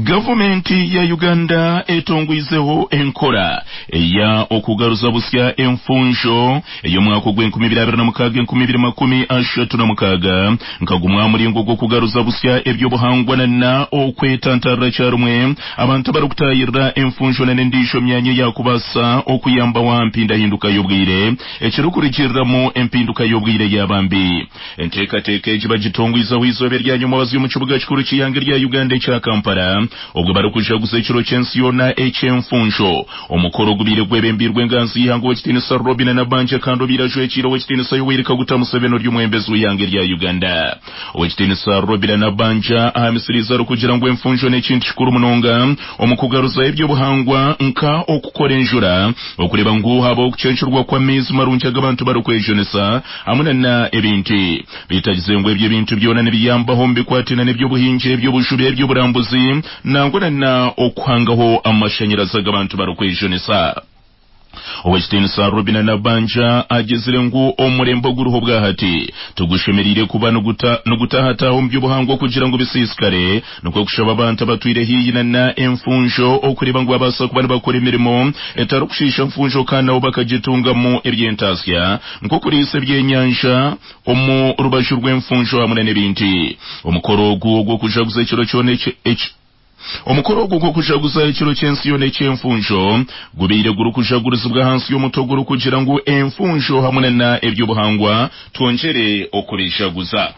Gavumenti ya Uganda etongwizeho enkora eya okugaruza busya enfunjo ey'omwaka ogw'enkumi ibiri abiri na mukaaga enkumi ibiri makumi ashatu na mukaaga nka gumwe aha muringo gw'okugaruza busya eby'obuhangwa na na okwetantarira kyarumwe abantu abarikutaahirira enfunjo na n'endiijo myanya eyakubaasa okuyambaho aha mpindahinduka y'obwire ekirikurugiriramu empinduka y'obwire yaaba mbi. Enteekateeka egi bagitongwizeho eizooba erya nyomwabazyo omu kibuga kikuru ky'eihanga erya Uganda ekya Kampala obwo barikujaguza ekiro ky'ensi yoona eky'enfunjo. Omukoro ogubaire gwebembeirwe enganzi y'eihanga Owekitiinisa Robinah Nabbanja kandi obaire ajwekiire Owekitiinisa Yoweri Kaguta Museveni ori omwebembezi w'eihanga erya Uganda. Owekitiinisa Robinah Nabbanja ahamisiriize arikugira ngu enfunjo n'ekintu kikuru munonga omu kugaruzaho eby'obuhangwa nka okukora enjura, okureeba ngu habaho okucencurwa kw'amaizi marungi agu abantu barikwejunisa hamwe na na ebindi. Beitu agize ngu ebyo ebintu byona nibiyambaho omu bikwataine n'eby'obuhingi, eby'obujubi, eby'oburambuzi nangwa na na okuhangaho amashanyarazi agu abantu barikwejunisa. Owekitiinisa Robinah Nabbanja agizire ngu omurembe oguriho obwahati tigushemereire kuba nigutahataaha omu by'obuhangwa kugira ngu bisiisikare, nikwo kushaba abantu abatwire haihi na na enfunjo okureeba ngu babaasa kuba nibakora emirimo etarikushiisha nfunjo kandi nabo bakagitungamu eby'entaasya nk'okuriisa ebyenyanja omu rubaju rw'enfunjo hamwe na n'ebindi. Omukoro ogu ogw'okujaguza ekiro kyona eki Omukoro ogu gw'okujaguza ekiro ky'ensi yoona eky'enfunjo gubaire gurikujagurizibwa ahansi y'omutwe ogurikugira ngu Enfunjo hamwe na eby'obuhangwa twongyere okubijaguza.